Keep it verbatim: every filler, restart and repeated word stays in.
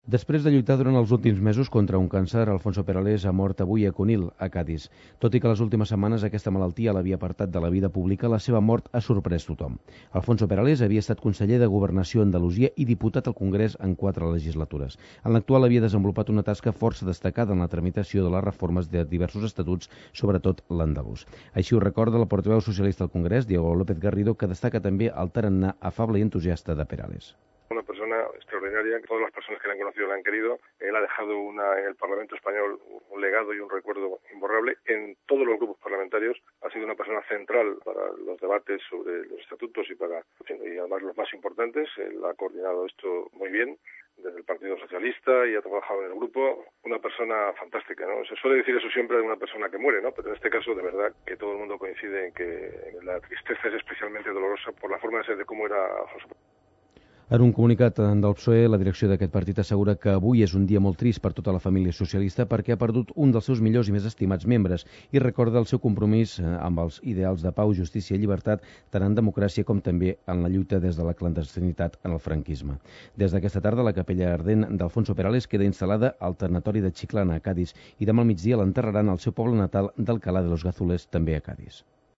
Després de lluitar durant els últims mesos contra un càncer, Alfonso Perales ha mort avui a Conil, a Cádiz. Tot i que les últimes setmanes aquesta malaltia l'havia apartat de la vida pública, la seva mort ha sorprès tothom. Alfonso Perales havia estat conseller de Governació a Andalusia i diputat al Congrés en quatre legislatures. En l'actual havia desenvolupat una tasca força destacada en la tramitació de les reformes de diversos estatuts, sobretot l'andalús. Així ho recorda la portaveu socialista al Congrés, Diego López Garrido, que destaca també el tarannà afable i entusiasta de Perales. Una persona extraordinaria, que todas las personas que le han conocido le han querido. Él ha dejado una, en el Parlamento español un legado y un recuerdo imborrable en todos los grupos parlamentarios. Ha sido una persona central para los debates sobre los estatutos y para y además los más importantes. Él ha coordinado esto muy bien desde el Partido Socialista y ha trabajado en el grupo. Una persona fantástica, ¿no? Se suele decir eso siempre de una persona que muere, ¿no? Pero en este caso, de verdad, que todo el mundo coincide en que la tristeza es especialmente dolorosa por la forma de ser de cómo era Alfonso. En un comunicat del P S O E, la direcció d'aquest partit assegura que avui és un dia molt trist per tota la família socialista perquè ha perdut un dels seus millors i més estimats membres i recorda el seu compromís amb els ideals de pau, justícia i llibertat tant en democràcia com també en la lluita des de la clandestinitat en el franquisme. Des d'aquesta tarda, la capella ardent d'Alfonso Perales queda instal·lada al tanatori de Chiclana, a Cádiz, i demà al migdia l'enterraran al seu poble natal d'Alcalá de los Gazules, també a Cádiz.